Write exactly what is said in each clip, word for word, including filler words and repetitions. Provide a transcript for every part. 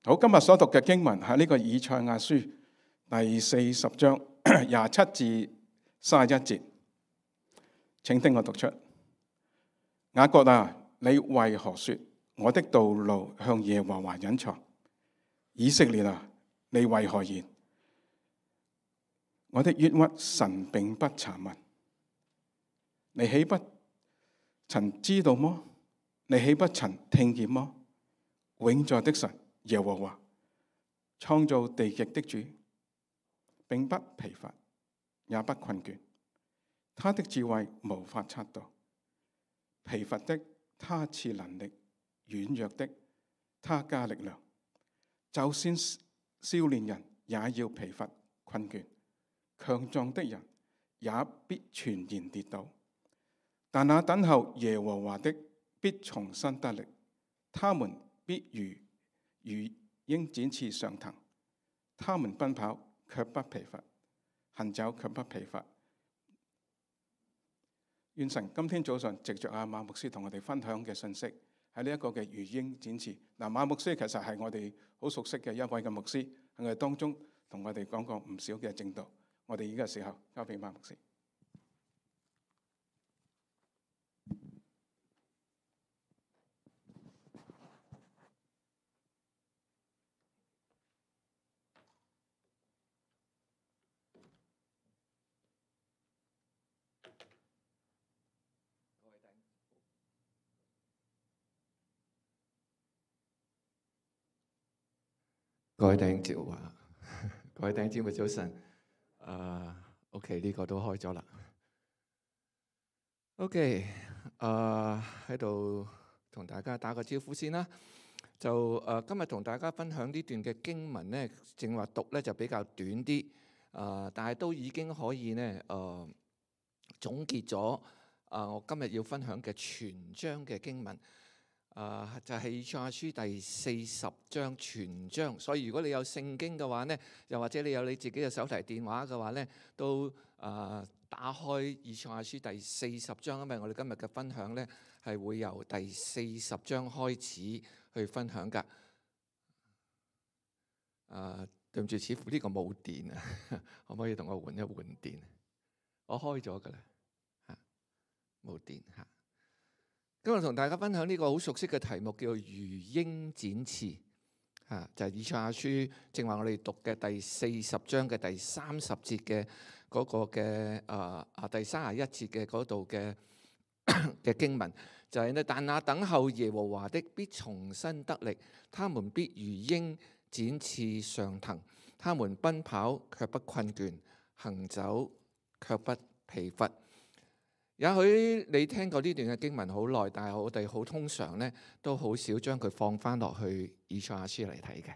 好，今日所讀嘅經文喺呢個以賽亞書第四十章廿七至三十一節，請聽我讀出。雅各啊，你為何說我的道路向耶和華隱藏？以色列啊，你為何言我的冤屈神並不查問？你豈不曾知道麼？你豈不曾聽見麼？永在的神耶和華，創造地極的主，並不疲乏，也不困倦。他的智慧無法測度。疲乏的他賜能力，軟弱的他加力量。就算少年人也要疲乏困倦，強壯的人也必全然跌倒。但那等候耶和華的必重新得力，他們必如如鷹展翅上騰，他們奔跑卻不疲乏，行走卻不疲乏。願神今天早上藉着阿馬牧師同我哋分享嘅信息，喺呢一個嘅如鷹展翅。嗱，馬牧師其實係我哋好熟悉嘅一位嘅牧師，喺我哋當中同我哋講過唔少嘅證道。我哋而家時候交俾馬牧師。各位弟兄姊妹，各位弟兄姊妹早晨。誒，OK，呢個都開咗啦。OK，誒喺度同大家打個招呼先啦。就誒今日同大家分享呢段嘅經文咧，正話讀咧就比較短啲，誒，但係都已經可以咧誒總結咗誒我今日要分享嘅全章嘅經文。誒、uh, 就係以賽亞書第四十章全章，所以如果你有聖經嘅話呢，又或者你有你自己嘅手提電話嘅話呢，都誒、uh, 打開以賽亞書第四十章，因為我哋今日嘅分享呢係會由第四十章開始去分享㗎。誒、uh, 對唔住，似乎呢個冇電啊，可唔可以同我換一換電？我開咗㗎啦，嚇冇電嚇。今日同大家分享呢個好熟悉嘅題目，叫做如鷹展翅，嚇就係、是、以賽亞書正話我哋讀嘅第四十章嘅第三十節嘅嗰個嘅啊啊第三十一節嘅嗰度嘅嘅經文，就係、是、呢：但那等候耶和華的必重新得力，他們必如鷹展翅上騰，他們奔跑卻不困倦，行走卻不疲乏。也許你聽過呢段嘅經文好耐，但係我哋好通常咧都好少將佢放翻落去以賽亞書嚟睇嘅。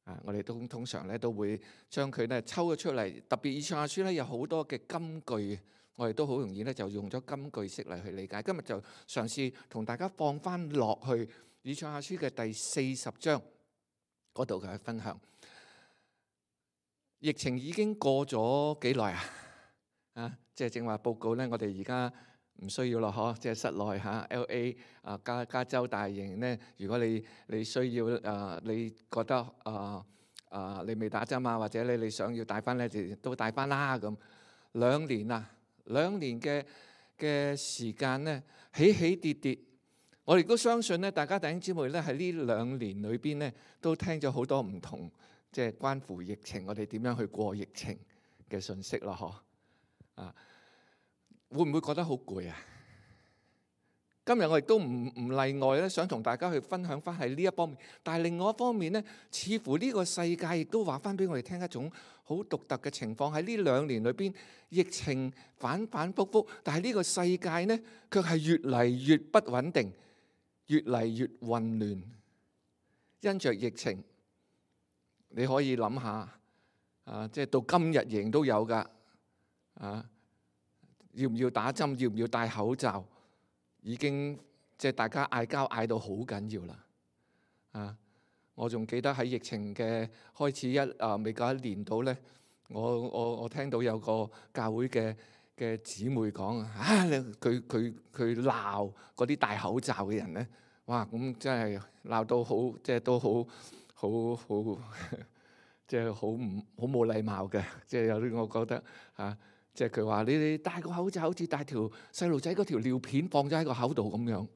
啊，我哋都通常咧都會將佢咧抽咗出嚟，特別以賽亞書咧有好多嘅金句，我哋都好容易咧就用咗金句式嚟去理解。今日就嘗試同大家放翻落去以賽亞書嘅第四十章嗰度嘅分享。疫情已經過咗幾耐啊？啊，即係正話報告咧，我哋而家唔需要咯，嗬！即係室內嚇 L A 啊，加加州大型咧，如果你你需要啊，你覺得啊啊，你未打針啊，或者你你想要帶翻咧，就都帶翻啦咁。兩年啊，兩年嘅嘅時間咧，起起跌跌，我亦都相信咧，大家弟兄姊妹咧喺呢兩年裏邊咧，都聽咗好多唔同，即係關乎疫情，我哋點樣去過疫情嘅信息咯，嗬！啊，會唔會覺得好攰啊？今日我亦都唔唔例外咧，想同大家去分享翻喺呢一方面。但係另外一方面咧，似乎呢個世界亦都話翻俾我哋聽一種好獨特嘅情況。喺呢兩年裏邊，疫情反反覆覆，但係呢個世界呢，卻係越嚟越不穩定，越嚟越混亂。因着疫情，你可以諗下啊，即係到今日仍都有㗎。啊！要唔要打針？要唔要戴口罩？已經即係大家嗌交嗌到好緊要啦！啊！我仲記得喺疫情嘅開始一啊未夠一年到咧，我我我聽到有個教會嘅嘅姊妹講啊，佢佢佢鬧嗰啲戴口罩嘅人咧，哇！咁真係鬧到好，即係都好好好即係好唔好冇禮貌嘅，即係有啲我覺得嚇，即係佢話你哋戴個口罩好似戴條細路仔嗰條尿片放咗喺個口度咁樣。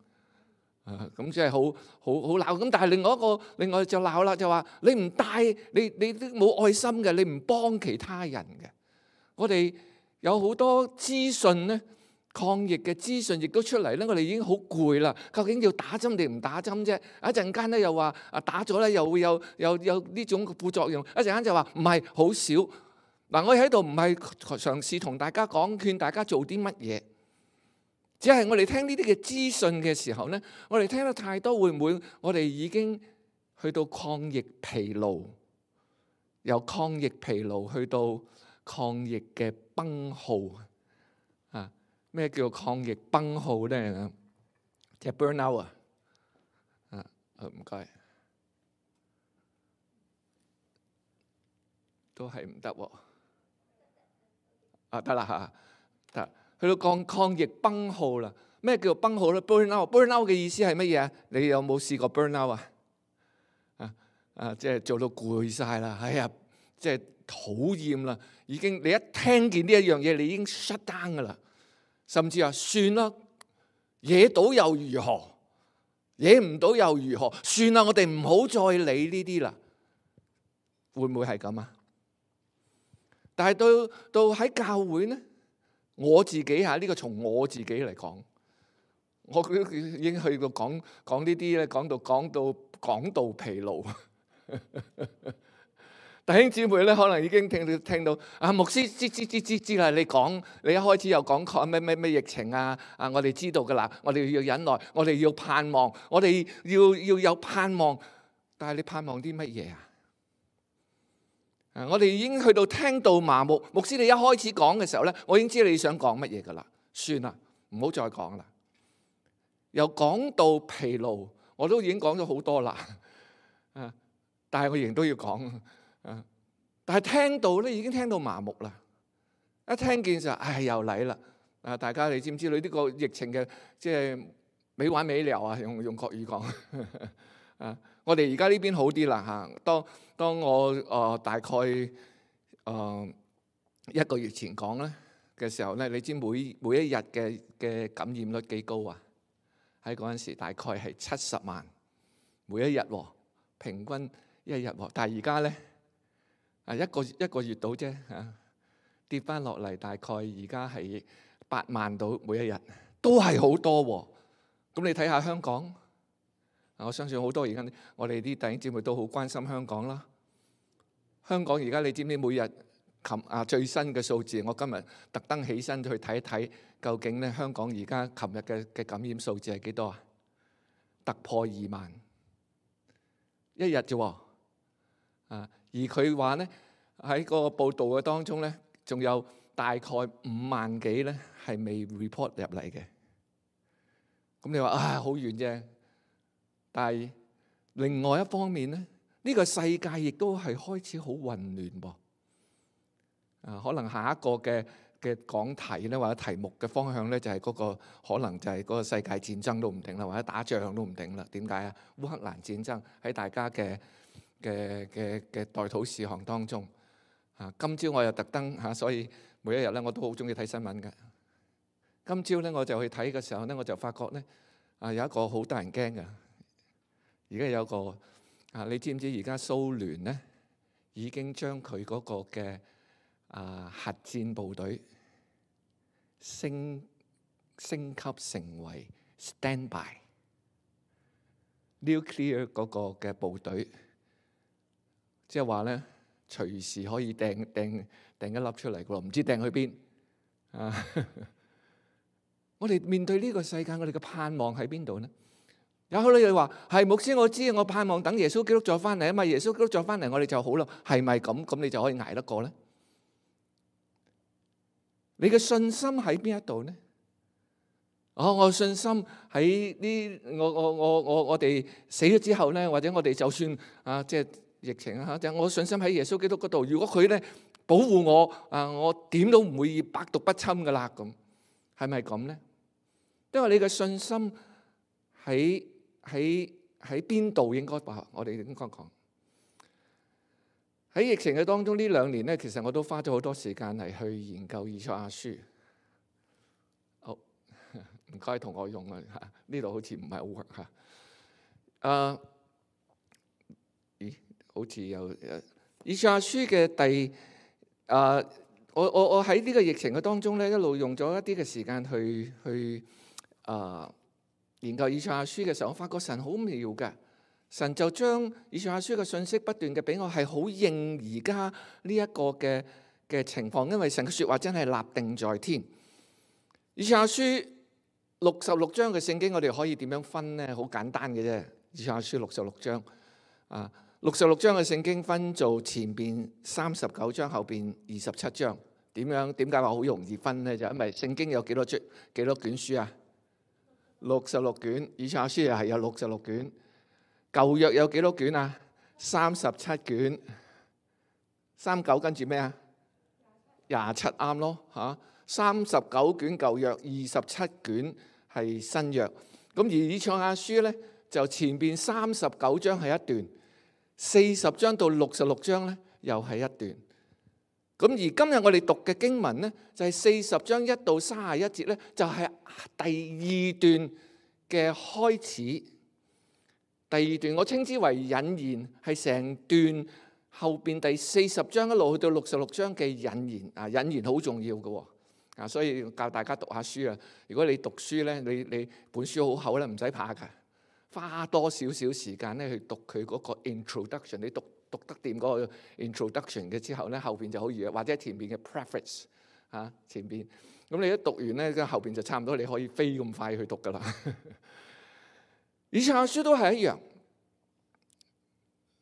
啊，咁即係好好好鬧，咁但係另外一個另外就鬧啦，就話你唔帶，你你都冇愛心嘅，你唔幫其他人嘅。我哋有好多資訊咧，抗疫嘅資訊亦都出嚟咧，我哋已經好攰啦。究竟要打針定唔打針啫？一陣間咧又話啊打咗咧又會有有有呢種副作用，一陣間就話唔係好少。嗱，我喺度唔係嘗試同大家講勸大家做啲乜嘢。只係我哋聽呢啲嘅資訊嘅時候咧，我哋聽得太多，會唔會我哋已經去到抗疫疲勞，由抗疫疲勞去到抗疫嘅崩耗啊？咩叫抗疫崩耗咧？即係 burn out 啊！啊，唔該，都係唔得喎。啊，得啦嚇，得。去到抗抗疫崩耗啦，咩叫做崩耗咧 ？burn out，burn out 嘅意思係乜嘢啊？你有冇試過 burn out 啊？啊啊，即係做到攰晒啦，哎呀，即係討厭啦，已經你一聽見呢一樣嘢，你已經 shut down 噶啦，甚至話算啦，惹到又如何？惹唔到又如何？算啦，我哋唔好再理呢啲啦。會唔會係咁啊？但係到到喺教會咧？我自己嚇，呢個從我自己嚟講，我已經去到講講呢啲咧，講到講到講到疲勞。弟兄姊妹咧，可能已經聽到聽到啊，牧師知知知知知啦，你講你一開始又講講咩咩咩疫情啊啊，我哋知道噶啦，我哋要忍耐，我哋要盼望，我哋要要有盼望，但係你盼望啲乜嘢啊？我哋已經去到聽到麻木，牧師你一開始講嘅時候咧，我已經知道你想講乜嘢噶啦，算啦，唔好再講啦。由講到疲勞，我都已經講咗好多啦，啊！但係我仍然都要講，啊！但係聽到咧，已經聽到麻木啦。一聽見就唉又嚟啦，啊！大家你知唔知道呢個疫情嘅即係沒完沒了啊？用用國語講，啊！我哋而家呢邊好啲啦嚇。當當我誒、呃、大概誒、呃、一個月前講咧嘅時候咧，你知每每一日嘅嘅感染率幾高啊？喺嗰陣時大概係七十萬每一日喎，平均一日喎。但係而家咧啊一個一個月到啫嚇，跌翻落嚟大概而家係八萬到每一日，都係好多喎。咁你睇下香港。我相信好多而家我哋啲弟兄姊妹都好關心香港啦。香港而家你知唔知每日琴啊最新嘅數字？我今日特登起身去睇一睇，究竟咧香港而家琴日嘅嘅感染數字係幾多啊？突破二萬一日啫喎。啊，而佢話咧喺個報道嘅當中咧，仲有大概五萬幾咧係未 report 入嚟嘅。咁你話啊好遠啫。但係另外一方面咧，呢個世界亦都係開始好混亂噃。啊，可能下一個嘅嘅講題咧，或者題目嘅方向咧，就係嗰個可能就係嗰個世界戰爭都唔定啦，或者打仗都唔定啦。點解啊？烏克蘭戰爭喺大家嘅嘅嘅嘅代禱事項當中。啊，今朝我又特登嚇，所以每一日咧我都好中意睇新聞嘅。今朝咧我就去睇嘅時候咧，我就發覺咧啊有一個好得人驚嘅。而家有個啊，你知唔知而家蘇聯咧已經將佢嗰個嘅啊核戰部隊升升級成為 standby nuclear 嗰個嘅部隊，即係話咧隨時可以掟掟掟一粒出嚟嘅喎，唔知掟去邊啊？我哋面對呢個世界，我哋嘅盼望喺邊度咧？有好多人話係牧師，我知我盼望等耶穌基督再翻嚟啊嘛，耶穌基督再翻嚟我哋就好啦，係咪咁？咁你就可以捱得過咧？你嘅信心喺邊一度咧？哦，我信心喺呢，我我我我我哋死咗之後咧，或者我哋就算啊，即係疫情啊，就我信心喺耶穌基督嗰度。如果佢咧保護我啊，我點都唔會百毒不侵噶啦。咁係咪咁咧？因為你嘅信心喺喺喺邊度應該話，我哋應該講喺疫情嘅當中呢兩年咧，其實我都花咗好多時間嚟去研究以賽亞書。好，唔該同我用啊嚇，呢度好似唔係好 work 嚇。誒，咦？好似有誒以賽亞書嘅第誒，我我我喺呢個疫情嘅當中咧，一路用咗一啲嘅時間去去誒研究以賽亞書嘅時候，我發覺神好妙嘅。神就將以賽亞書嘅信息不斷嘅俾我，係好應而家呢一個嘅嘅情況，因為神嘅説話真係立定在天。以賽亞書六十六章嘅聖經，我哋可以點樣分呢？好簡單嘅啫。以賽亞書六十六章啊，六十六章嘅聖經分做前邊三十九章，後邊二十七章。點樣？點解話好容易分呢？就因為聖經有幾多卷幾多卷書啊？六十六卷，以賽亞書又係有六十六卷。舊約有幾多卷啊？三十七卷，三九跟住咩啊？廿七啱咯嚇。三十九卷舊約，二十七卷係新約。咁而以賽亞書咧，就前邊三十九章係一段，四十章到六十六章咧又係一段。咁而今日我哋讀嘅經文咧，就係四十章一到三十一節咧，就係第二段嘅開始。第二段我稱之為引言，係成段後邊第四十章一路去到六十六章嘅引言啊！引言好重要嘅啊，所以教大家讀下書啊。如果你讀書咧，你你本書好厚咧，唔使怕㗎，花多少少時間咧去讀佢嗰個 introduction。你讀讀得掂嗰個 introduction 嘅之後咧，後邊就好易，或者前邊嘅 preface 啊，前邊咁你一讀完咧，咁後邊就差唔多你可以飛咁快去讀㗎啦。以賽亞書都係一樣，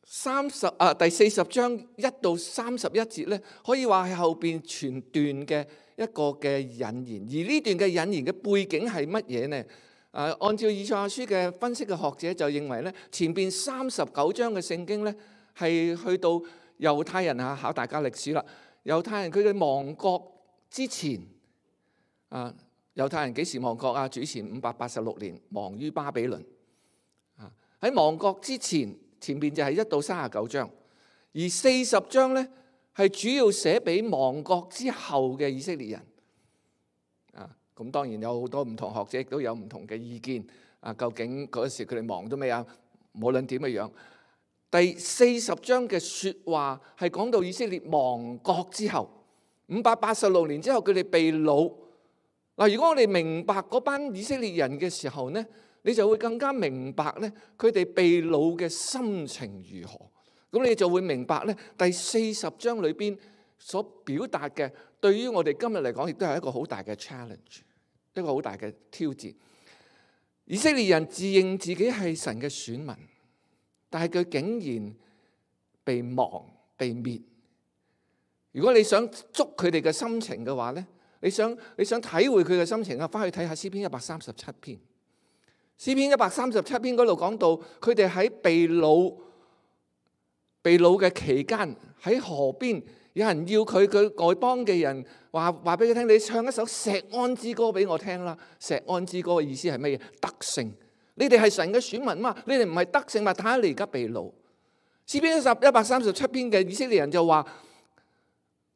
三十啊第四十章一到三十一節咧，可以話係後邊全段嘅一個嘅引言。而呢段嘅引言嘅背景係乜嘢呢？啊，按照以賽亞書嘅分析嘅學者就認為咧，前邊三十九章嘅聖經咧係去到猶太人啊，考大家歷史啦。猶太人佢嘅亡國之前啊，猶太人幾時亡國啊？主前五百八十六年亡於巴比倫。喺亡國之前，前面就係一到三十九章，而四十章咧係主要寫俾亡國之後嘅以色列人。啊，咁當然有好多唔同學者亦都有唔同嘅意見。啊，究竟嗰時佢哋忙到咩啊？無論點嘅樣，第四十章嘅説話係講到以色列亡國之後，五百八十六年之後佢哋被擄。嗱，如果我哋明白嗰班以色列人嘅時候呢，你就會更加明白咧，佢哋被擄嘅心情如何。咁你就會明白咧，第四十章裏邊所表達嘅，對於我哋今日嚟講，亦都係一個好大嘅 challenge， 一個好大嘅挑戰。以色列人自認自己係神嘅選民，但係佢竟然被亡被滅。如果你想捉佢哋嘅心情嘅話咧，你想你想體會佢嘅心情啊，翻去睇下詩篇一百三十七篇。詩篇一百三十七篇嗰度講到，佢哋喺被擄被擄嘅期間，喺河邊有人要佢，佢外邦嘅人話話俾佢聽，你唱一首錫安之歌俾我聽啦。錫安之歌嘅意思係乜嘢？得勝，你哋係神嘅選民嘛，你哋唔係得勝嘛，睇下你而家被擄。詩篇一百三十七篇嘅以色列人就話：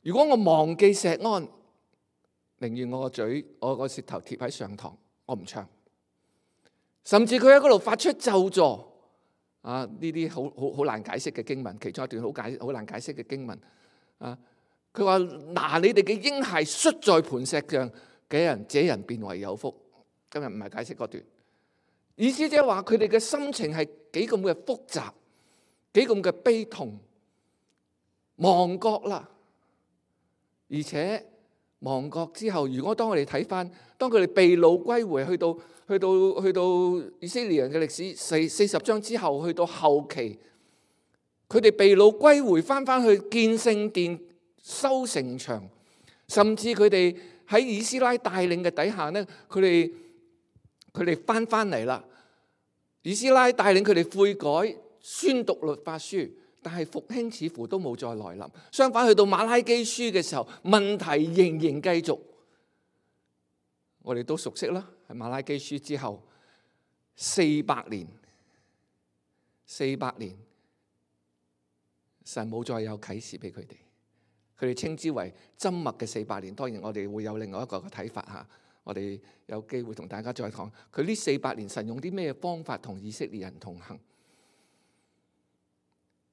如果我忘記錫安，寧願我個嘴我個舌頭貼喺上膛，我唔唱。甚至佢喺嗰度發出咒詛啊！呢啲好好好難解釋嘅經文，其中一段好解好難解釋嘅經文啊！佢話：拿你哋嘅嬰孩摔在磐石上嘅人，這人便為有福。今日唔係解釋嗰段，意思即係話佢哋嘅心情係幾咁嘅複雜，幾咁嘅悲痛，亡國啦，而且亡國之後，如果當我哋睇翻，當佢哋被擄歸回，去到去到去到以色列人嘅歷史四四十章之後，去到後期，佢哋被擄歸回翻翻去建聖殿、修城牆，甚至佢哋喺以斯拉帶領嘅底下咧，佢哋佢哋翻翻嚟啦。以斯拉帶領佢哋悔改、宣讀律法書，但係復興似乎都冇再來臨。相反，去到馬拉基書嘅時候，問題仍然繼續。我哋都熟悉啦，喺馬拉基書之後四百年，四百年，神冇再有啟示俾佢哋，佢哋稱之為緘默嘅四百年。當然我哋會有另外一個嘅睇法嚇，我哋有機會同大家再講佢呢四百年神用啲咩方法同以色列人同行。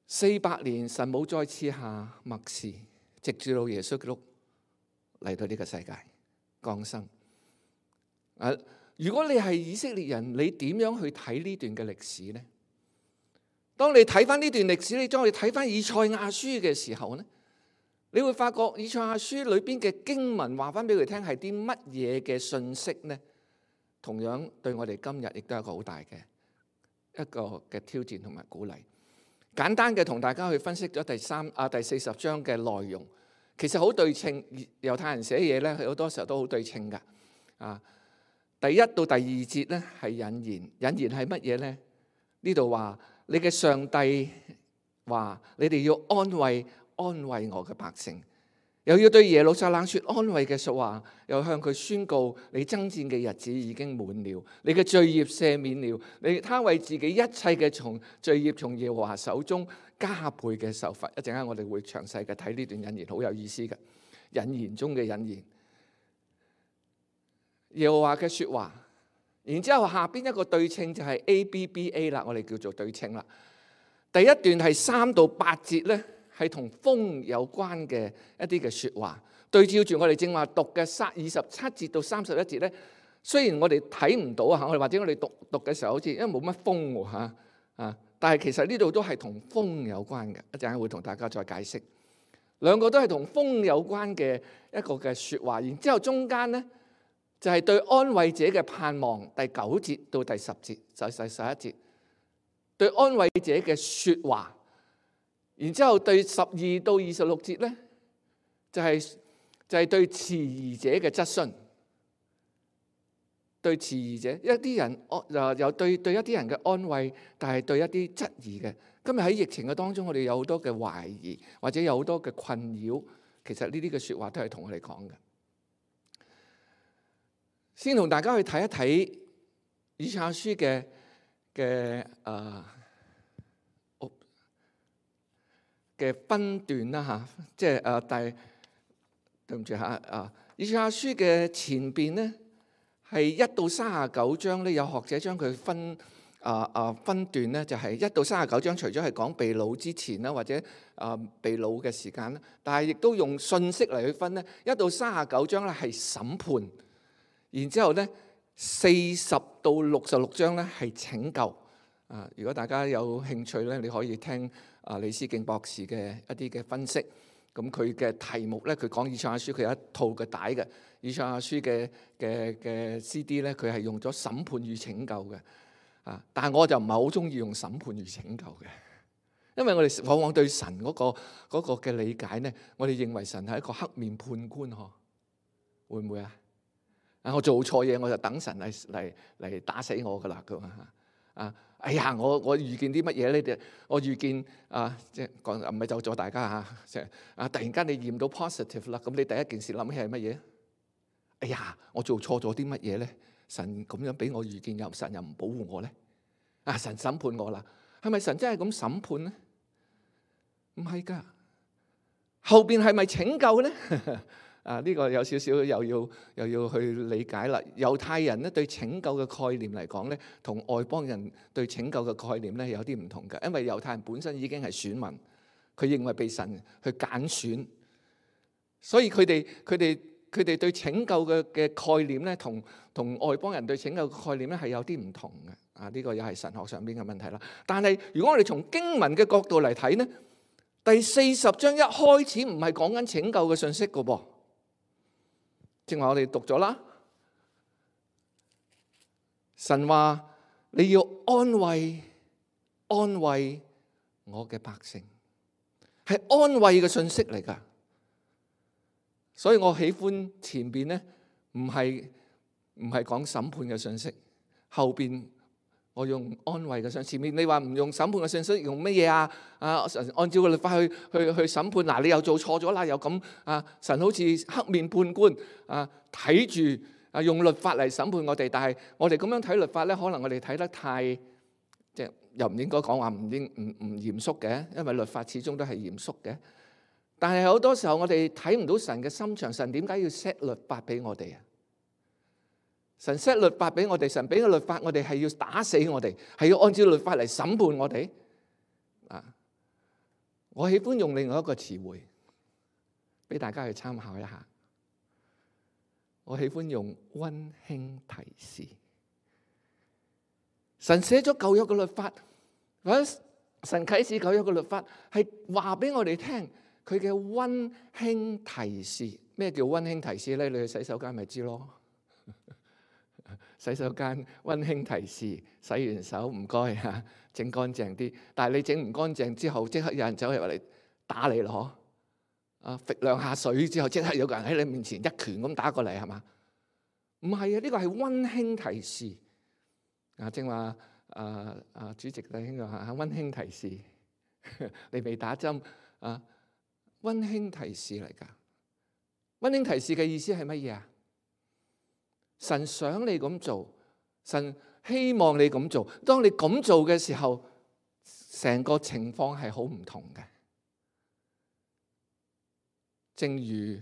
四百年神冇再賜下默示，直至到耶穌基督嚟到呢個世界降生。啊，如果你係以色列人，你點樣去睇呢段嘅歷史呢？當你睇翻呢段歷史，你當你睇翻以賽亞書嘅時候呢，你會發覺以賽亞書裏邊嘅經文話翻俾佢聽係啲乜嘢嘅信息呢？同樣對我哋今日亦都係一個好大嘅一個嘅挑戰同埋鼓勵。簡單嘅同大家去分析咗第三啊第四十章嘅內容，其實好對稱。猶太人寫嘢咧，好多時候都好對稱噶。啊，第一到第二節咧係引言，引言係乜嘢咧？呢度話你嘅上帝話你哋要安慰安慰我嘅百姓，又要對耶路撒冷說安慰嘅說話，又向佢宣告你爭戰嘅日子已經滿了，你嘅罪孽赦免了，你他為自己一切嘅從罪孽從耶和華手中加倍嘅受罰。一陣間我哋會詳細嘅睇呢段引言，好有意思嘅引言中嘅引言，耶和華嘅說話。然之後下邊一個對稱就係 A B B A 啦，我哋叫做對稱啦。第一段係三到八節咧，係同風有關嘅一啲嘅說話，對照住我哋正話讀嘅三二十七節到三十一節咧。雖然我哋睇唔到啊，我哋或者我哋讀讀嘅時候好似因為冇乜風喎嚇啊，但係其實呢度都係同風有關嘅。一陣間會同大家再解釋，兩個都係同風有關嘅一個嘅說話。然之後中間咧就係對安慰者嘅盼望，第九節到第十節就係第十一節對安慰者嘅說話。然之後對十二到二十六節咧，就係就係對遲疑者嘅質詢，對遲疑者一啲人安又對對一啲人嘅安慰，但係對一啲質疑嘅。今日喺疫情嘅當中，我哋有好多嘅懷疑，或者有好多嘅困擾。其實呢啲嘅說話都係同我哋講嘅。先同大家去睇一睇以賽亞書嘅嘅誒。嘅分段啦嚇，即係誒，但係對唔住嚇啊！以賽亞書嘅前邊咧係一到三十九章咧，有學者將佢分啊啊分段咧，就係一到三十九章，除咗係講被擄之前啦，或者啊被擄嘅時間啦，但係亦都用信息嚟去分咧。一到三十九章咧係審判，然之後咧四十到六十六章咧係拯救。啊！如果大家有興趣咧，你可以聽啊李思敬博士嘅一啲嘅分析。咁佢嘅題目咧，佢講以賽亞書，佢有一套嘅帶嘅以賽亞書嘅嘅嘅 C D 咧，佢係用咗審判與拯救嘅。啊！但係我就唔係好中意用審判與拯救嘅，因為我哋往往對神嗰個嗰個嘅理解咧，我哋認為神係一個黑面判官嗬，會唔會啊？啊！我做錯嘢我就等神嚟嚟嚟打死我噶啦咁啊！啊！哎呀，我我預見啲乜嘢咧？我預見啊，即係講唔係就咗大家嚇，即係啊！突然間你驗到 positive 啦，咁你第一件事諗起係乜嘢？哎呀，我做錯咗啲乜嘢咧？神咁樣俾我預見，又神又唔保護我咧？啊！神審判我啦，係咪神真係咁審判咧？唔係㗎，後邊係咪拯救咧？啊！呢個有少少又要又要去理解啦。猶太人咧對拯救嘅概念嚟講咧，同外邦人對拯救嘅概念咧有啲唔同嘅。因為猶太人本身已經係選民，佢認為被神去揀選，所以佢哋佢哋佢哋對拯救嘅嘅概念咧，同同外邦人對拯救嘅概念咧係有啲唔同嘅。啊！呢個又係神學上邊嘅問題啦。但係如果我哋從經文嘅角度嚟睇咧，第四十章一開始唔係講緊拯救嘅信息㗎噃。正話我哋讀咗啦，神話你要安慰安慰我嘅百姓，係安慰嘅信息嚟㗎。所以我喜歡前邊咧，唔係唔係講審判嘅信息，後邊我用安慰嘅信息。前面你話唔用審判嘅信息，用乜嘢啊？啊，神按照個律法去去去審判，嗱你又做錯咗啦，又咁啊，神好似黑面判官啊，睇住啊用律法嚟審判我哋。但係我哋咁樣睇律法咧，可能我哋睇得太即係又唔應該講話唔應唔唔嚴肅嘅，因為律法始終都係嚴肅嘅。但係好多時候我哋睇唔到神嘅心腸，神點解要 set 律法俾我哋啊？神 set 律法俾我哋，神俾個律法我哋係要打死我哋，係要按照律法嚟審判我哋啊！我喜歡用另外一個詞彙俾大家去參考一下。我喜歡用溫馨提示。神寫咗舊約嘅律法，或者神啟示舊約嘅律法，係話俾我哋聽佢嘅溫馨提示。咩叫溫馨提示咧？你去洗手間咪知咯。洗手間溫馨提示，洗完手唔該嚇，整乾淨啲。但係你整唔乾淨之後，即刻有人走入嚟打你咯，啊，揈兩下水之後，即刻有個人喺你面前一拳咁打過嚟，係嘛？唔係啊，呢個係溫馨提示。啊，正話啊啊，主席弟兄話嚇溫馨提示，你未打針啊？溫馨提示嚟㗎。溫馨提示嘅意思係乜嘢啊？神想你咁做，神希望你咁做。當你咁做嘅時候，成個情況係好唔同嘅。正如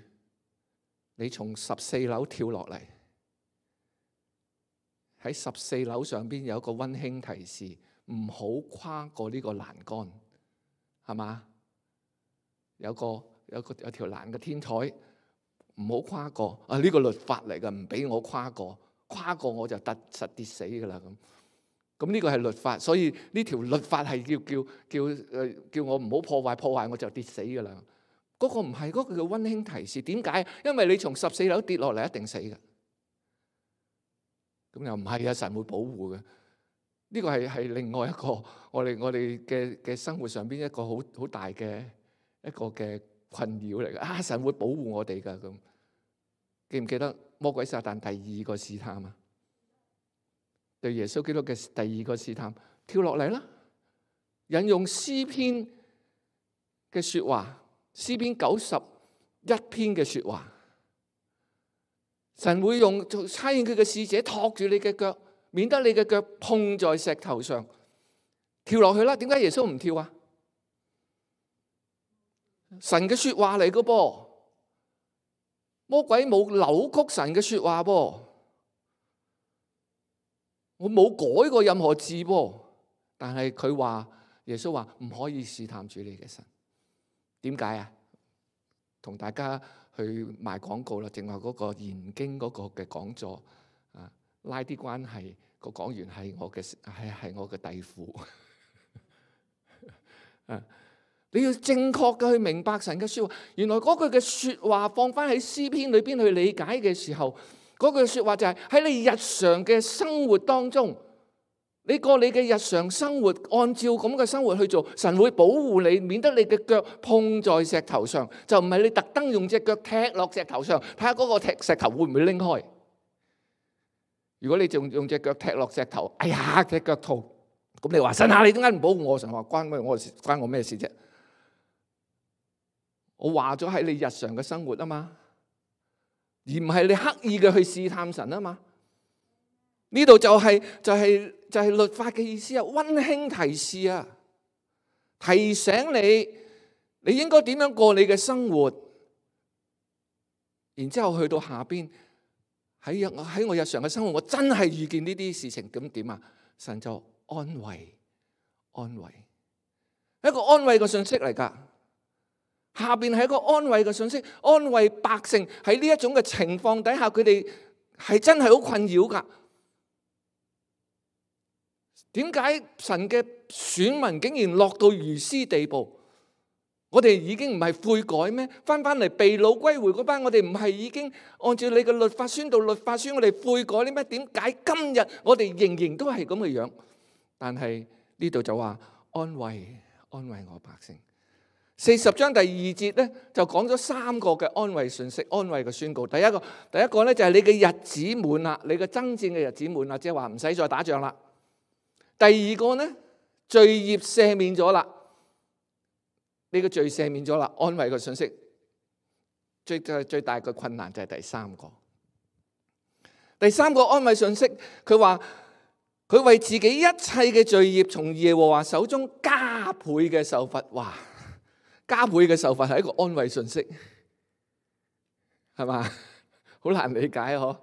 你從十四樓跳落嚟，喺十四樓上邊有一個溫馨提示，唔好跨過呢個欄杆，係嘛？有個有個有條欄嘅天台，唔好跨過。啊，呢個律法嚟嘅，唔俾我跨過，跨過我就突實跌死噶啦咁。咁呢個係律法，所以呢條律法係叫叫叫誒叫我唔好破壞，破壞我就跌死噶啦。嗰個唔係，嗰個叫溫馨提示。點解？因為你從十四樓跌落嚟一定死嘅。咁又唔係啊，神會保護嘅。呢個係係另外一個我哋我哋嘅嘅生活上邊一個好好大嘅一個嘅困擾嚟嘅。啊，神會保護我哋噶咁。記唔記得魔鬼撒旦第二個試探啊？對耶穌基督嘅第二個試探，跳落嚟啦，引用詩篇嘅說話，詩篇九十一篇嘅說話，神會用差遣佢嘅使者托住你嘅腳，免得你嘅腳碰在石頭上，跳落去啦。點解耶穌唔跳啊？神嘅說話嚟嘅噃，魔鬼冇扭曲神嘅說話噃。我冇改過任何字噃，但係佢話耶穌話唔可以試探主你嘅神。點解啊？同大家去賣廣告啦，正話嗰個研經嗰個嘅講座啊，拉啲關係，個講員係我嘅係係我嘅弟父啊！你要正確嘅去明白神嘅說話。原來嗰句嘅說話放翻喺詩篇裏邊去理解嘅時候，嗰句說話就係喺你日常嘅生活當中，你過你嘅日常生活，按照咁嘅生活去做，神會保護你，免得你嘅腳碰在石頭上。就唔係你特登用隻腳踢落石頭上，睇下嗰個踢石頭會唔會拎開。如果你仲用隻腳踢落石頭，哎呀，隻腳痛，咁你話神啊，你點解唔保護我？神話關咩我關我咩事啫？我話咗喺你日常嘅生活啊嘛。而唔係你刻意嘅去試探神啊嘛。呢度就係就係就係律法嘅意思啊，溫馨提示啊，提醒你你應該點樣過你嘅生活。然之後去到下邊，喺喺我日常嘅生活，我真係遇見呢啲事情，咁點啊？神就安慰安慰，一個安慰嘅信息嚟噶。下邊係一個安慰嘅信息，安慰百姓喺呢一種嘅情況底下，佢哋係真係好困擾噶。點解神嘅選民竟然落到如斯地步？我哋已經唔係悔改咩？翻翻嚟被擄歸回嗰班，我哋唔係已經按照你嘅律法宣道律法書，我哋悔改啲咩？點解今日我哋仍然都係咁嘅樣？但係呢度就話安慰安慰我百姓。四十章第二節咧，就講咗三個嘅安慰信息，安慰嘅宣告。第一個，第一個咧就係你嘅日子滿啦，你嘅爭戰嘅日子滿啦，即係話唔使再打仗啦。第二個咧，罪孽赦免咗啦，你嘅罪赦免咗啦，安慰嘅信息。最最最大嘅困難就係第三個，第三個安慰信息，佢話佢為自己一切嘅罪孽從耶和華手中加倍嘅受罰。哇！加倍嘅受罰係一個安慰信息，係嘛？好難理解嗬。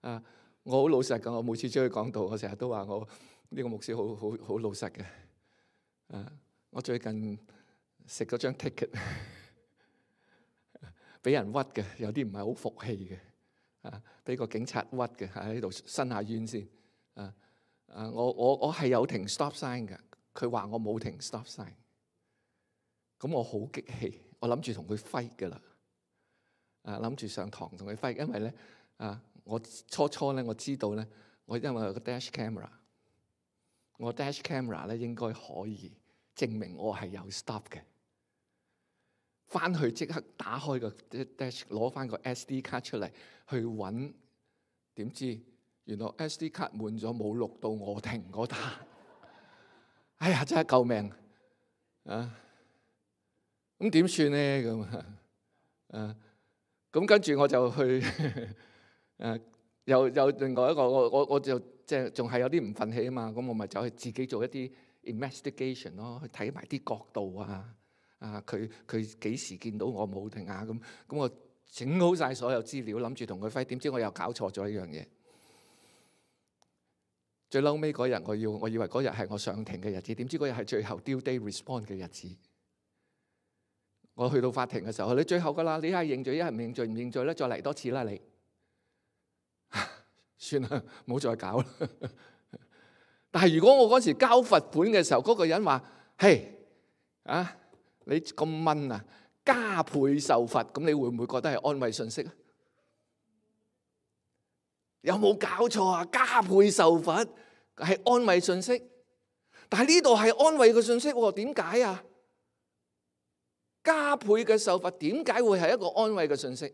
啊，我好老實噶，我每次出去講道，我成日都話我呢個牧師好好好老實嘅。啊，我最近食咗張 ticket， 俾人屈嘅，有啲唔係好服氣嘅。啊，俾個警察屈嘅，喺度伸下冤先。啊啊，我我我係有停 stop sign 嘅，佢話我冇停 stop sign。咁我好激氣，我諗住同佢 fight 噶啦。啊，諗住上堂同佢 fight，因為咧啊，我初初咧我知道咧，我因為有個 dash camera， 我 dash camera 咧應該可以證明我係有 stop 嘅。翻去即刻打開個 dash， 攞翻個 S D 卡出嚟去揾，點知原來 S D 卡滿咗，冇錄到我停嗰單。哎呀，真係救命啊！咁點算咧？咁啊，咁跟住我就去誒，又有另外一個，我我我就即係仲係有啲唔憤氣啊嘛。咁我咪走去自己做一啲 investigation 咯，去睇埋啲角度啊。啊，佢佢幾時見到我冇停啊？咁咁我整好晒所有資料，諗住同佢揮。點知我又搞錯咗一樣嘢。最嬲尾嗰日，我要我以為嗰日係我上庭嘅日子，點知嗰日係最後 due day respond 嘅日子。我去到法庭嘅時候，你最後噶啦，你係認罪，一係唔認罪，唔認罪咧，再嚟多次啦，你算啦，唔好再搞啦。但係如果我嗰時交罰款嘅時候，嗰個人話：嘿啊，你咁蚊啊，加倍受罰，咁你會唔會覺得係安慰信息啊？有冇搞錯啊？加倍受罰係安慰信息，但係呢度係安慰嘅信息喎？點解啊？加倍嘅受罰點解會係一個安慰嘅信息？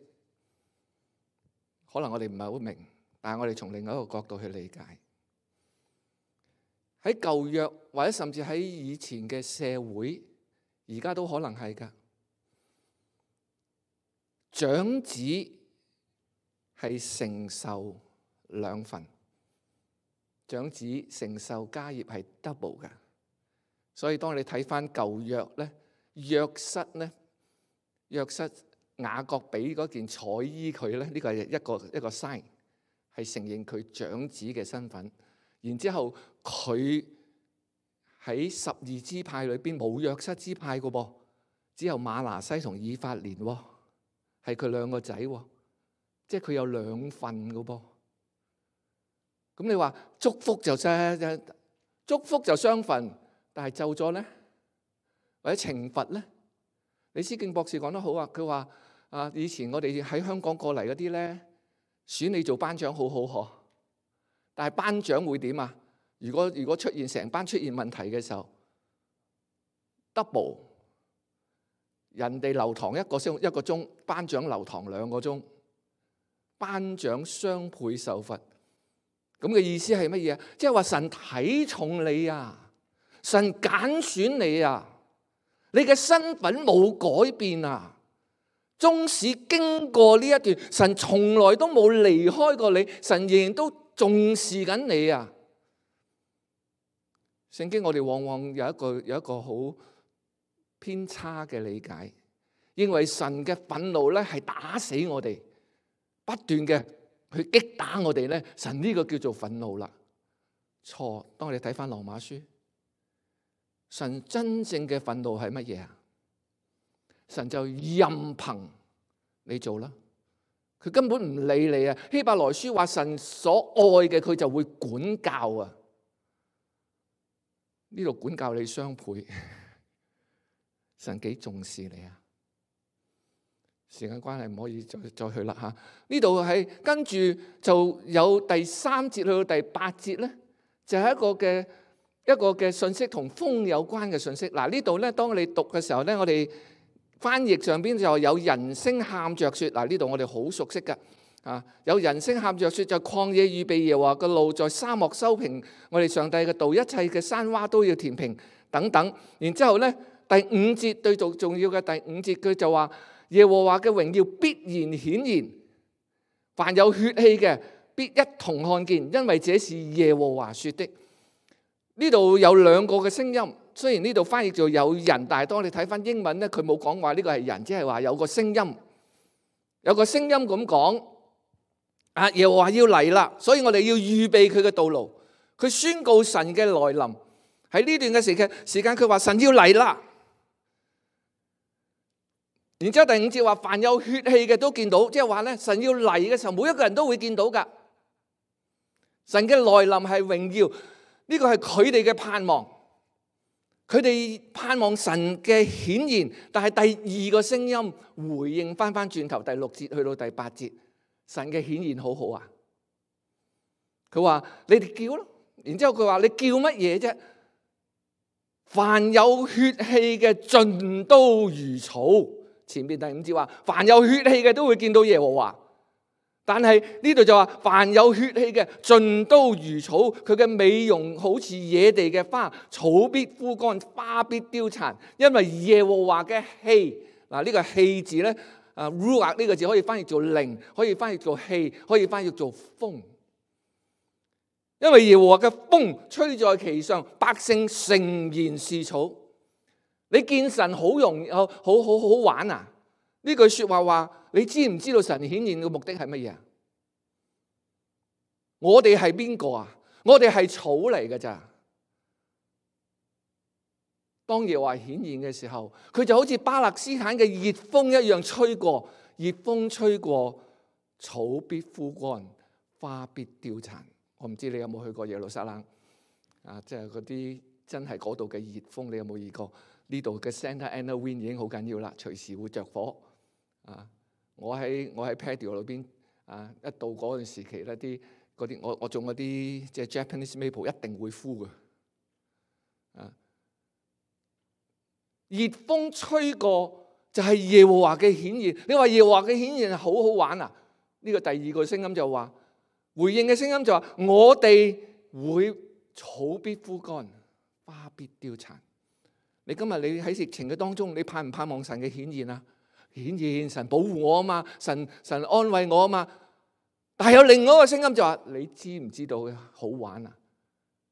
可能我哋唔係好明，但係我哋從另外一個角度去理解。喺舊約或者甚至喺以前嘅社會，而家都可能係㗎。長子係承受兩份，長子承受家業係 double 㗎。所以當你睇返舊約咧，約瑟咧，約瑟雅各俾嗰件彩衣佢咧，呢、這個係一個一個 sign， 係承認佢長子嘅身份。然之後佢喺十二支派裏邊冇約瑟支派嘅噃，只有馬拿西同以法蓮喎，係佢兩個仔喎，即係佢有兩份嘅噃。咁你話祝福就啫，祝福就雙份，但係咒咗咧？或者懲罰咧？李思敬博士講得好啊！佢話啊，以前我哋喺香港過嚟嗰啲咧，選你做班長好好嗬，但係班長會點啊？如果如果出現成班出現問題嘅時候 ，double 人哋留堂一個鐘一個鐘，班長留堂兩個鐘，班長雙倍受罰。咁嘅意思係乜嘢啊？即係話神睇重你啊，神揀選你啊。你嘅身份冇改變啊！縱使經過呢一段，神從來都冇離開過你，神仍然都重視緊你啊！聖經我哋往往有一個有一個好偏差嘅理解，認為神嘅憤怒咧係打死我哋，不斷嘅去擊打我哋咧，神呢個叫做憤怒啦。錯，當我哋睇翻羅馬書。神真正嘅憤怒係乜嘢啊？神就任憑你做啦，佢根本唔理你啊！希伯來書話神所愛嘅佢就會管教啊，呢度管教你雙倍，神幾重視你啊！時間關係唔可以再再去啦吓，呢度係跟住就有第三節去到第八節咧，就係、是、一個嘅。一個嘅信息同風有關嘅信息。嗱，呢度咧，當你讀嘅時候咧，我哋翻譯上邊就有人聲喊着說。嗱，呢度我哋好熟悉噶啊，有人聲喊着說，就曠野預備耶和華嘅路，在沙漠修平我哋上帝嘅道，一切嘅山窪都要填平等等。然之後咧，第五節最重重要嘅第五節，佢就話耶和華嘅榮耀必然顯現，凡有血氣嘅必一同看見，因為這是耶和華說的。呢度有兩個嘅聲音，雖然呢度翻譯做有人，但係當你睇翻英文咧，佢冇講話呢個係人，只係話有個聲音，有個聲音咁講，啊，耶和華要嚟啦，所以我哋要預備佢嘅道路。佢宣告神嘅來臨。喺呢段嘅時間，時間佢話神要嚟啦。然之後第五節話，凡有血氣嘅都見到，即係話咧，神要嚟嘅時候，每一個人都會見到噶。神嘅來臨係榮耀，呢個係佢哋嘅盼望，佢哋盼望神嘅顯現。但係第二個聲音回應翻翻轉頭，第六節去到第八節，神嘅顯現好好啊。佢話你哋叫咯，然之後佢話你叫乜嘢啫？凡有血氣嘅盡都如草。前面第五節話，凡有血氣嘅都會見到耶和華。但係呢度就話，凡有血氣嘅盡都如草，佢嘅美容好似野地嘅花，草必枯乾，花必凋殘，因為耶和華嘅氣。嗱，呢個氣字咧，啊 ruach 呢個字可以翻譯做靈，可以翻譯做氣，可以翻譯做風。因為耶和華嘅風吹在其上，百姓誠然是草。你見神好容易，好好好好玩啊！呢句說話話，你知唔知道神顯現嘅目的係乜嘢啊？我哋係邊個啊？我哋係草嚟㗎咋？當耶和華顯現嘅時候，佢就好似巴勒斯坦嘅熱風一樣吹過，熱風吹過，草必枯乾，花必凋殘。我唔知你有冇去過耶路撒冷啊？即係嗰啲真係嗰度嘅熱風，你有冇遇過？呢度嘅 Santa Ana Wind 已經好緊要啦，隨時會着火啊！我喺我喺 patio 裏邊啊，一到嗰段時期咧，啲嗰啲我我種嗰啲即係 Japanese maple 一定會枯嘅啊！熱風吹過就係耶和華嘅顯現。你話耶和華嘅顯現係好好玩啊？呢個第二個聲音就話，回應嘅聲音就話，我哋會草必枯乾，花必凋殘。你今日你喺疫情嘅當中，你盼唔盼望神嘅顯現啊？顯現神保護我啊嘛，神神安慰我啊嘛。但係有另外一個聲音就話，你知唔知道好玩啊？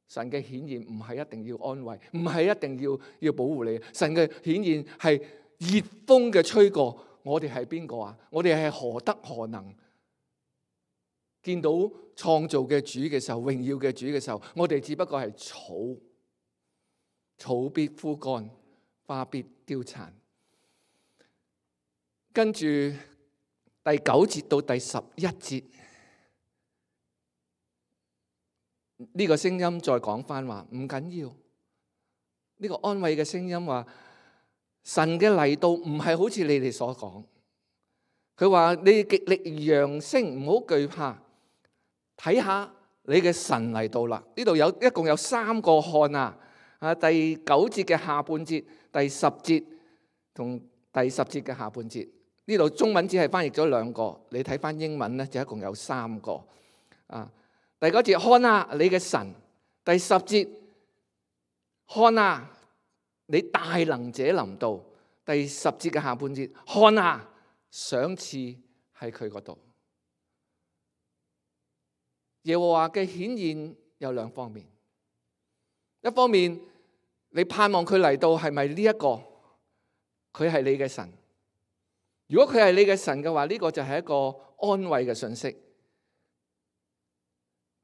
神嘅顯現唔係一定要安慰，唔係一定要要保護你。神嘅顯現係熱風嘅吹過。我哋係邊個啊？我哋係何德何能？見到創造嘅主嘅時候，榮耀嘅主嘅時候，我哋只不過係草。草必枯乾，花必凋殘。跟住第九節到第十一節，呢個聲音再講翻話唔緊要。呢個安慰嘅聲音話，神嘅嚟到唔係好似你哋所講。佢話你極力揚聲，唔好懼怕，睇下你嘅神嚟到啦。呢度有一共有三個看啊。啊！第九節嘅下半節，第十節同第十節嘅下半節，呢度中文只係翻譯咗兩個，你睇翻英文咧就一共有三個。啊！第九節看啊，你嘅神；第十節看啊，你大能者臨到；第十節嘅下半節看啊，賞賜喺佢嗰度。耶和華嘅顯現有兩方面。一方面，你盼望佢嚟到係咪呢一個？佢係你嘅神。如果佢係你嘅神嘅話，呢個就係一個安慰嘅信息。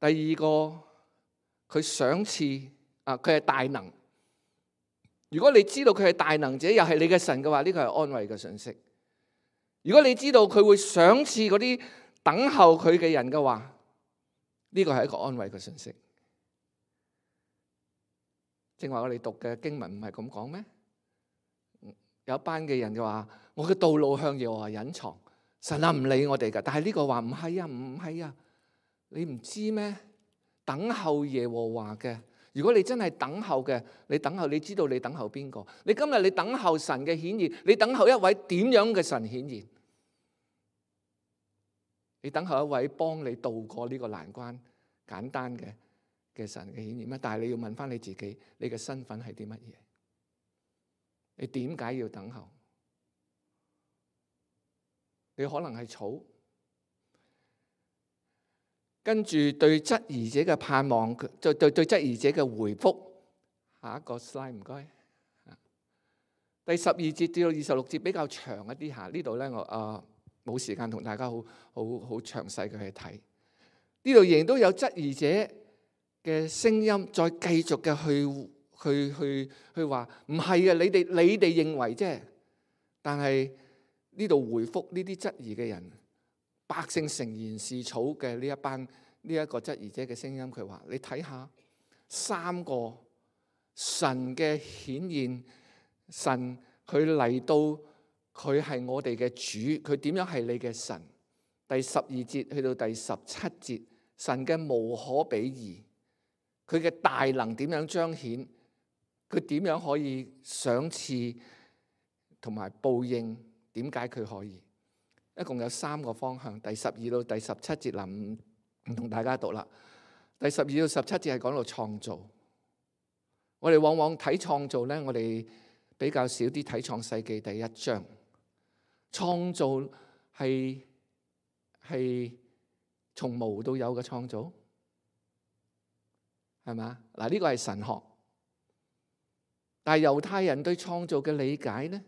第二個，佢賞賜啊，佢係大能。如果你知道佢係大能者，又係你嘅神嘅話，呢個係安慰嘅信息。如果你知道佢會賞賜嗰啲等候佢嘅人嘅話，呢個係一個安慰嘅信息。正話我哋讀嘅經文唔係咁講咩？有一班嘅人就話：我嘅道路向耶和華隱藏，神啊唔理我哋噶。但係呢個話唔係啊，唔係啊，你唔知咩？等候耶和華嘅，如果你真係等候嘅，你等候，你知道你等候邊個？你今日你等候神嘅顯現，你等候一位點樣嘅神顯現？你等候一位幫你渡過呢個難關，簡單嘅嘅神嘅顯現咩？但係你要問翻你自己，你嘅身份係啲乜嘢？你點解要等候？你可能係草，跟住對質疑者嘅盼望，對對對質疑者嘅回覆，下一個 slide 唔該。第十二節至到二十六節比較長一啲嚇，呢度咧我啊冇時間同大家好好好詳細嘅去睇。呢度仍然都有質疑者嘅聲音，再繼續嘅去去去去話唔係嘅，你哋你哋認為啫。但係呢度回覆呢啲質疑嘅人，百姓誠然是草嘅呢一班呢一個質疑者嘅聲音，佢話：你睇下三個神嘅顯現。神佢嚟到，佢係我哋嘅主，佢點樣係你嘅神？第十二節去到第十七節，神嘅無可比擬，佢嘅大能點樣彰顯？佢點樣可以賞賜同埋報應？點解佢可以？一共有三個方向。第十二到第十七節嗱，唔唔同大家讀啦。第十二到十七節係講到創造。我哋往往睇創造咧，我哋比較少啲睇創世記第一章，創造係係從無到有嘅創造，係嘛？嗱，呢個係神學，但係猶太人對創造嘅理解咧，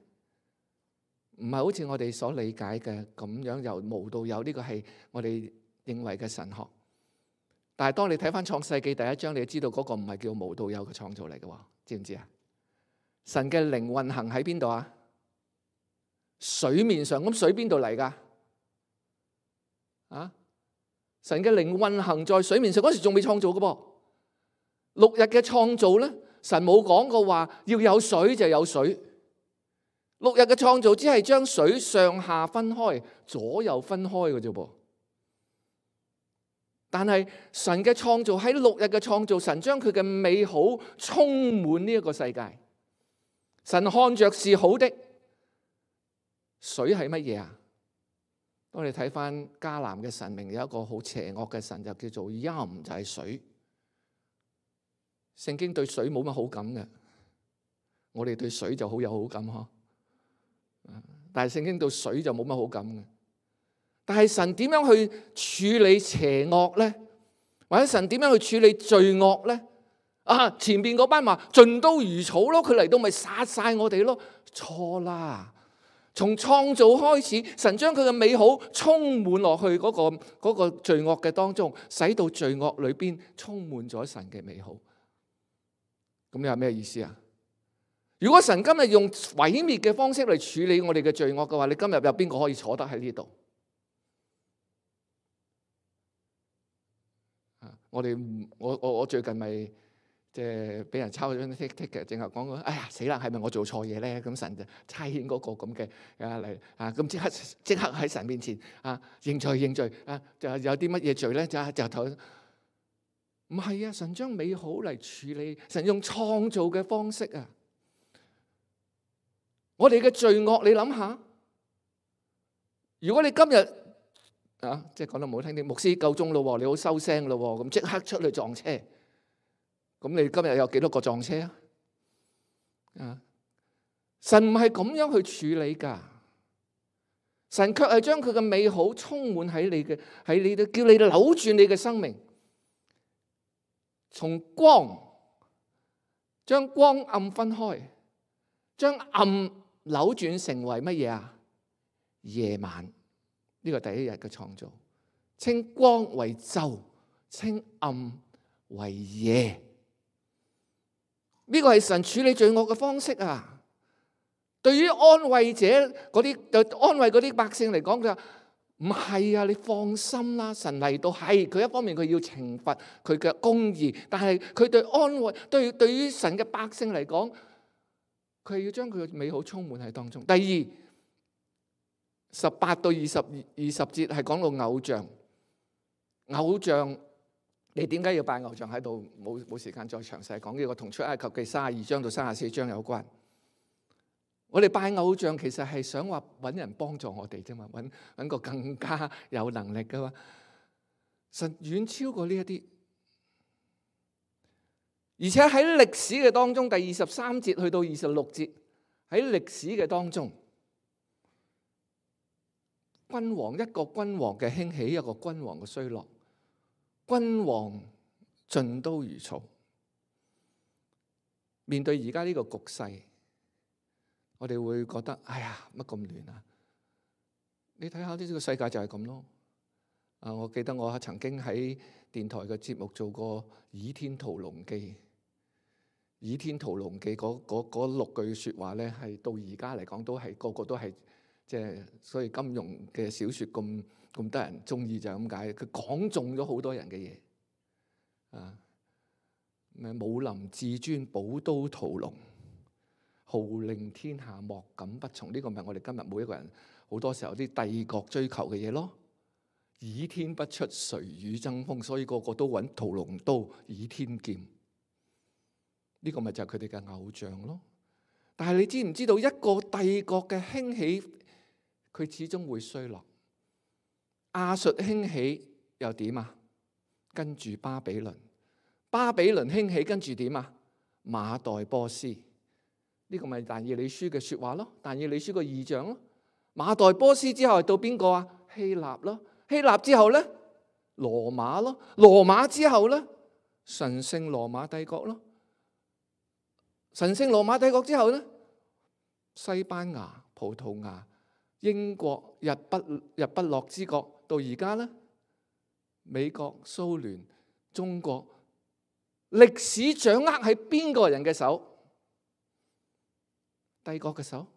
唔係好似我哋所理解嘅咁樣由無到有，呢個係我哋認為嘅神學。但係當你睇翻創世記第一章，你就知道嗰個唔係叫無到有嘅創造嚟嘅，知唔知啊？神嘅靈運行喺邊度啊？水面上，咁水邊度嚟噶？啊！神嘅靈運行在水面上，嗰時仲未創造嘅噃。六日嘅創造咧，神冇講過話要有水就有水。六日嘅創造只係將水上下分開，左右分開嘅啫噃。但係神嘅創造喺六日嘅創造，神將佢嘅美好充滿呢一個世界。神看着是好的。水係乜嘢啊？當你睇翻迦南嘅神明，有一個好邪惡嘅神，就叫做陰，就係水。聖經對水冇乜好感嘅，我哋對水就好有好感嗬。但係聖經對水就冇乜好感嘅。但係神點樣去處理邪惡咧？或者神點樣去處理罪惡咧？啊！前邊嗰班話盡都如草咯，佢嚟到咪殺晒我哋咯？錯啦！從創造開始，神將佢嘅美好充滿落去嗰個嗰個罪惡嘅當中，使到罪惡裏邊充滿咗神嘅美好。咁有咩意思啊？如果神今日用毀滅嘅方式嚟處理我哋嘅罪惡嘅話，你今日有邊個可以坐得喺呢度？我哋我我我最近咪即係俾人抄咗張 ticket 嘅，淨係講過，哎呀死啦，係咪我做錯嘢咧？咁神就差遣嗰個咁嘅啊嚟啊，咁即刻即刻喺神面前啊認罪認罪啊，就有啲乜嘢罪咧？就就頭唔係啊！神將美好嚟處理，神用創造嘅方式啊！我哋嘅罪惡，你諗下，如果你今日啊，即係講得唔好聽啲，牧師夠鐘咯，你好收聲咯，咁即刻出去撞車，咁你今日有幾多個撞車啊？啊，神唔係咁樣去處理噶，神卻係將佢嘅美好充滿喺你嘅喺你度，叫你扭轉你嘅生命，從光將光暗分開，將暗扭轉成為乜嘢啊？夜晚。呢個第一日嘅創造，稱光為晝，稱暗為夜。呢個係神處理罪惡嘅方式啊！對於安慰者嗰啲，安慰嗰啲百姓嚟講，佢話唔係啊，你放心啦，神嚟到係佢一方面佢要懲罰佢嘅公義，但係佢對安慰對對於神嘅百姓嚟講，佢係要將佢嘅美好充滿喺當中。第二。十八到二十二十節係講到偶像，偶像你點解要拜偶像喺度？冇冇時間再詳細講呢個，同出埃及記三十二章到三十四章有關。我哋拜偶像其實係想話揾人幫助我哋啫嘛，揾揾個更加有能力噶嘛。神遠超過呢一啲，而且喺歷史嘅當中，第二十三節去到二十六節喺歷史嘅當中。君王，一個君王嘅興起，一個君王嘅衰落，君王盡都如草。面對而家呢個局勢，我哋會覺得哎呀，乜咁亂啊！你睇下呢個世界就係咁咯。啊，我記得我曾經喺電台嘅節目做過《倚天屠龍記》。《倚天屠龍記》嗰嗰嗰六句説話咧，係到而家嚟講都係個個都係即係，所以金庸嘅小説咁咁得人中意就係咁解。佢講中咗好多人嘅嘢啊！咩武林至尊，寶刀屠龍，號令天下莫敢不從。呢個咪我哋今日每一個人好多時候啲帝國追求嘅嘢咯。倚天不出，誰與爭鋒？所以個個都揾屠龍刀、倚天劍。呢個咪就係佢哋嘅偶像咯。但係你知唔知道一個帝國嘅興起，佢始終會衰落。亞述興起又點啊？跟住巴比倫，巴比倫興起跟住點啊？馬代波斯。呢個咪但以理書嘅説話咯，但以理書個異象咯。馬代波斯之後係到邊個啊？希臘咯。希臘之後咧，羅馬咯。羅馬之後咧，神聖羅馬帝國咯。神聖羅馬帝國之後咧，西班牙、葡萄牙、英國、日不日不落之國，到而家咧，美國、蘇聯、中國，歷史掌握喺邊個人嘅手？帝國嘅手。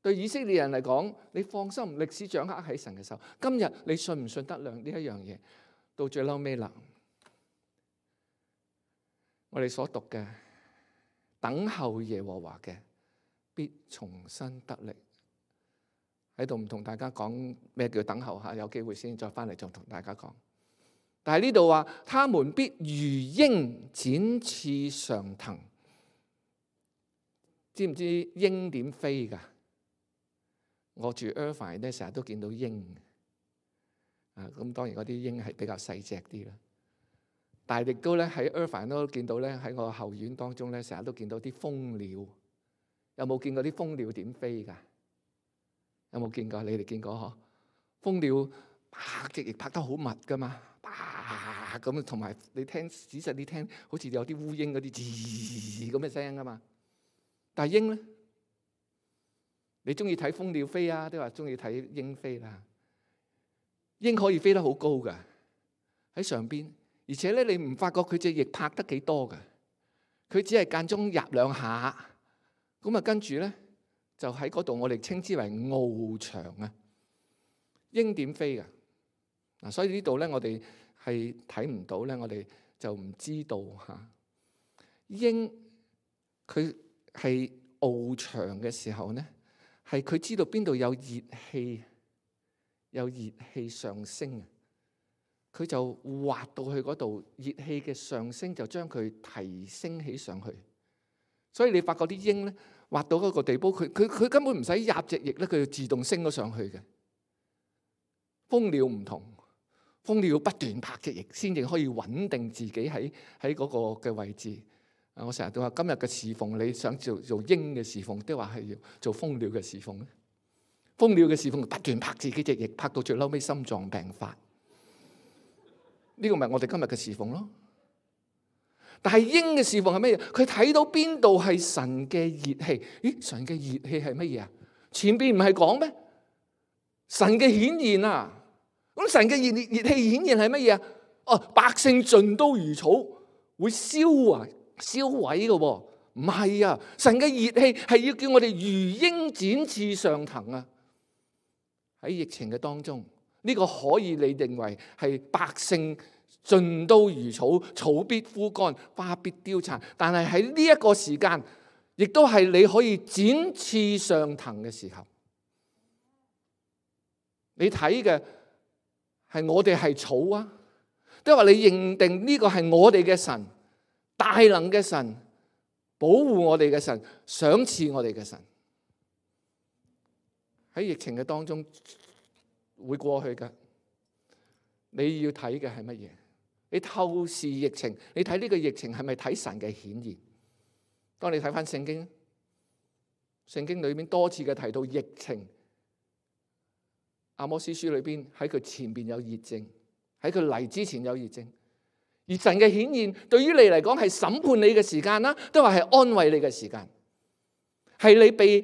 對以色列人嚟講，你放心，歷史掌握喺神嘅手。今日你信唔信得亮呢一樣嘢？到最嬲尾啦，我哋所讀嘅等候耶和華嘅，必重新得力。喺度唔同大家講咩叫等候吓，有機會先再翻嚟再同大家講。但係呢度話，他們必如鷹展翅上騰。知唔知鷹點飛噶？我住 Irvine 咧，成日都見到鷹啊。咁當然嗰啲鷹係比較細隻啲啦，但係亦都咧喺 Irvine 都見到咧，喺我後院當中咧，成日都見到啲蜂鳥。有冇見過啲蜂鳥點飛噶？有冇見過？你哋見過嗬？蜂鳥拍隻翼拍得好密噶嘛，啪咁，同埋你聽仔細啲聽，好似有啲烏蠅嗰啲吱咁嘅聲噶嘛。但係鷹咧？你中意睇蜂鳥飛啊？都話中意睇鷹飛啦。鷹可以飛得好高噶，喺上邊，而且咧你唔發覺佢隻翼拍得幾多噶？佢只係間中入兩下，咁啊跟住咧就喺嗰度，我哋稱之為翱翔啊。鷹點飛噶？嗱，所以呢度咧我哋係睇唔到咧，我哋就唔知道吓。鷹佢係翱翔嘅時候咧，係佢知道邊度有熱氣，有熱氣上升啊，佢就滑到去嗰度，熱氣嘅上升就將佢提升起上去。所以你發覺啲鷹咧滑到嗰個地步，佢佢佢根本唔使壓隻翼咧，佢就自動升咗上去嘅。蜂鳥唔同，蜂鳥要不斷拍隻翼先至可以穩定自己喺喺嗰個嘅位置。我成日都話今日嘅侍奉，你想做做鷹嘅侍奉，都話係要做蜂鳥嘅侍奉咧。蜂鳥嘅侍奉不斷拍自己隻翼，拍到最嬲尾心臟病發。呢個咪我哋今日嘅侍奉咯。但係鷹嘅侍奉係乜嘢？佢睇到邊度係神嘅熱氣？咦，神嘅熱氣係乜嘢啊？前邊唔係講咩？神嘅顯現啊！咁神嘅熱熱氣顯現係乜嘢啊？哦，百姓盡都如草，會燒啊！燒毀嘅喎，唔係啊！神嘅熱氣係要叫我哋如鷹展翅上騰啊！喺疫情嘅當中，呢個可以你認為係百姓盡都如草，草必枯乾，花必凋殘。但係喺呢一個時間，亦都係你可以展翅上騰嘅時候。你睇嘅係我哋係草啊，都係話你認定呢個係我哋嘅神。大能嘅神，保護我哋嘅神，賞賜我哋嘅神。喺疫情嘅當中會過去嘅，你要睇嘅係乜嘢？你透視疫情，你睇呢個疫情係咪睇神嘅顯現？當你睇翻聖經，聖經裏面多次嘅提到疫情。阿摩司書裏邊喺佢前邊有熱症，喺佢嚟之前有熱症。而神嘅顯現對於你嚟講係審判你嘅時間啦，都話係安慰你嘅時間，係你被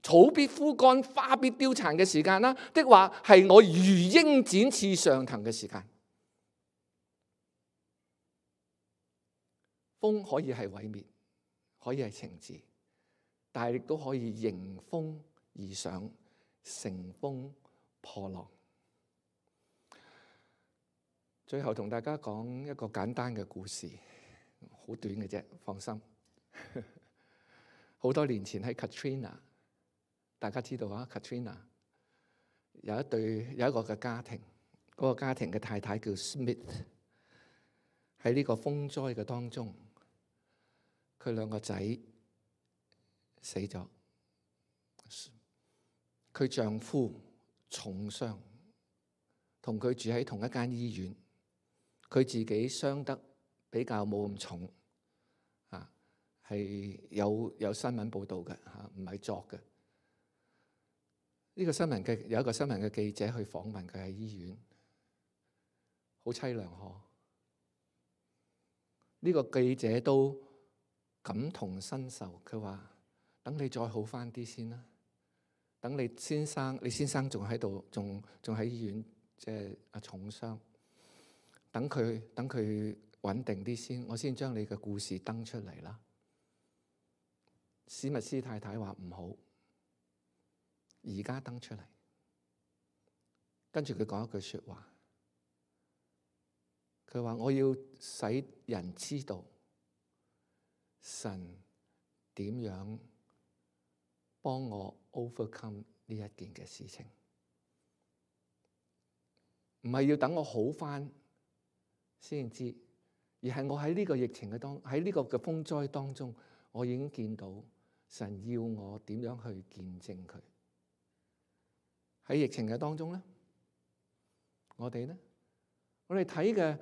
草必枯乾、花必凋殘嘅時間啦，的話係我如鷹展翅上騰嘅時間。風可以係毀滅，可以係懲治，但係亦都可以迎風而上，乘風破浪。最後同大家講一個簡單嘅故事，好短嘅啫，放心。好多年前喺 Katrina， 大家知道啊 Katrina 有一對有一個嘅家庭，嗰、那個家庭嘅太太叫 Smith， 喺呢個風災嘅當中，佢兩個仔死咗，佢丈夫重傷，同佢住喺同一間醫院。佢自己傷得比較冇咁重，啊，係有有新聞報導嘅嚇，唔係作嘅。呢個新聞嘅有一個新聞嘅記者去訪問佢喺醫院，好凄涼呵。呢個記者都感同身受，佢話：等你再好返啲先啦，等你先生，你先生仲喺度，仲仲喺醫院，即係啊重傷。等佢等佢穩定啲先，我先將你嘅故事登出嚟啦。史密斯太太話唔好，而家登出嚟。跟住佢講一句說話，佢話我要使人知道神點樣幫我 overcome 呢一件嘅事情，唔係要等我好返先知，而係我喺呢個疫情嘅當喺呢個嘅風災當中，我已經見到神要我點樣去見證佢。喺疫情嘅當中咧，我哋咧，我哋睇嘅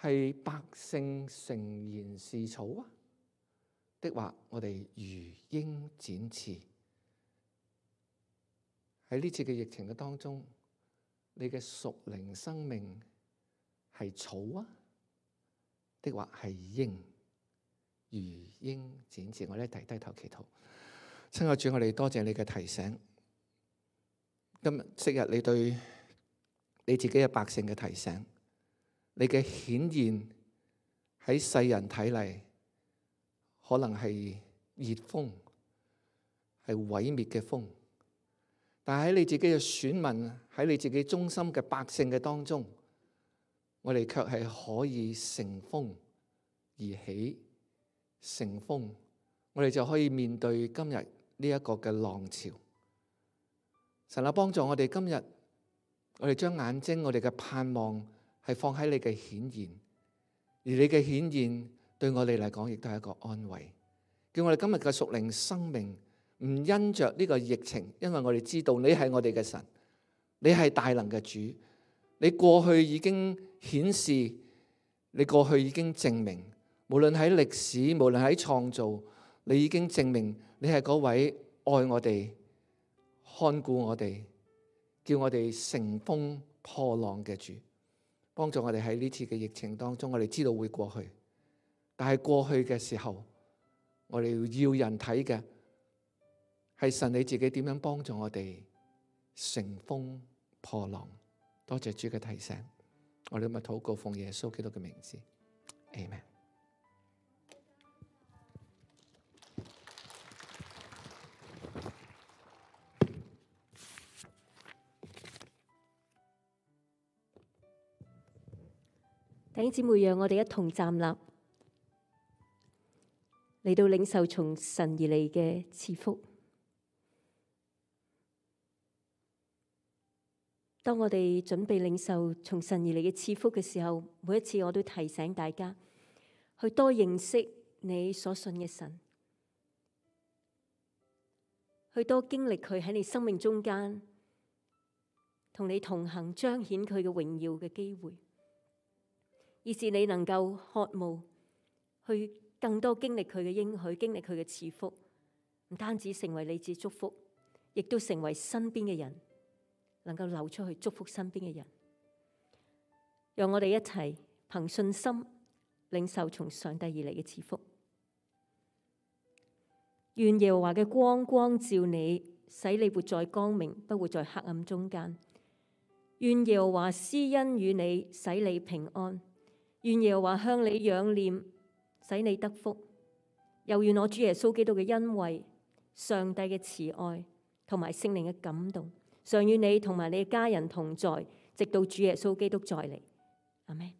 係百姓誠然是草啊，的話我哋如鷹展翅。喺呢次嘅疫情嘅當中，你嘅屬靈生命係草啊，的話係鷹，如鷹展翅。我哋低低頭祈禱。親愛主，我哋多謝你嘅提醒。今日昔日你對你自己嘅百姓嘅提醒，你嘅顯現喺世人睇嚟，可能係熱風，係毀滅嘅風，但係喺你自己嘅選民，喺你自己忠心嘅百姓嘅當中，我哋卻係可以乘風而起，乘風，我哋就可以面對今日呢一個嘅浪潮。神啊，幫助我哋今日，我哋將眼睛，我哋嘅盼望係放喺你嘅顯現，而你嘅顯現對我哋嚟講亦都係一個安慰，叫我哋今日嘅屬靈生命唔因着呢個疫情，因為我哋知道你係我哋嘅神，你係大能嘅主，你過去已經顯示，你過去已經證明，無論喺歷史，無論喺創造，你已經證明你係嗰位愛我哋、看顧我哋、叫我哋乘風破浪嘅主。幫助我哋喺呢次嘅疫情當中，我哋知道會過去，但係過去嘅時候，我哋要人睇嘅係神你自己點樣幫助我哋乘風破浪。多謝主嘅提醒，我哋今日禱告奉耶穌基督嘅名字 Amen。弟兄姊妹，讓我哋一同站立，嚟到領受從神而嚟嘅賜福。當我哋準備領受從神而嚟嘅賜福嘅時候，每一次我都提醒大家去多認識你所信嘅神，去多經歷佢喺你生命中間同你同行，彰顯佢嘅榮耀嘅機會。以致你能夠渴慕去更多經歷佢嘅應許，經歷佢嘅賜福，唔單止成為你自己祝福，亦都成為身邊嘅人能夠流出去祝福身邊嘅人。讓我哋一齊憑信心領受從上帝而嚟嘅賜福。願耶和華嘅光光照你，使你活在光明，不活在黑暗中間。願耶和華施恩與你，使你平安。願耶和華向你仰念，使你得福。又願我主耶穌基督嘅恩惠、上帝嘅慈愛同埋聖靈嘅感動，常與你同埋你嘅家人同在，直到主耶穌基督再嚟。阿們。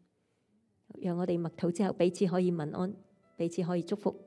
讓我哋默禱之後，彼此可以問安，彼此可以祝福。